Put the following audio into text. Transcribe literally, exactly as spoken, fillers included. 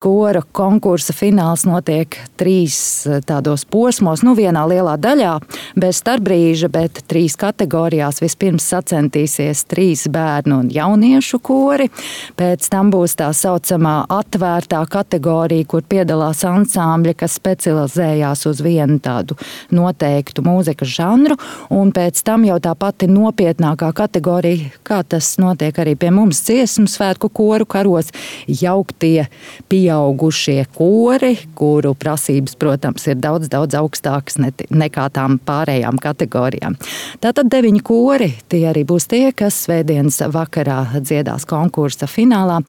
Kora konkursa fināls notiek trīs tādos posmos, nu vienā lielā daļā, bez starpbrīža, bet trīs kategorijās. Vispirms sacentīsies trīs bērnu un jauniešu kori, pēc tam būs tā saucamā atvērtā kategorija, kur piedalās ansambļi, kas specializējās uz vienu tādu noteiktu mūzikas žanru, un pēc tam jau tā pati nopietnākā kategorija, kā tas notiek arī pie mums dziesmu svētku koru karos, jauktie pie Pieaugušie kori, kuru prasības, protams, ir daudz, daudz augstākas nekā tām pārējām kategorijām. Tātad deviņi kori, tie arī būs tie, kas svētdienas vakarā dziedās konkursa finālā.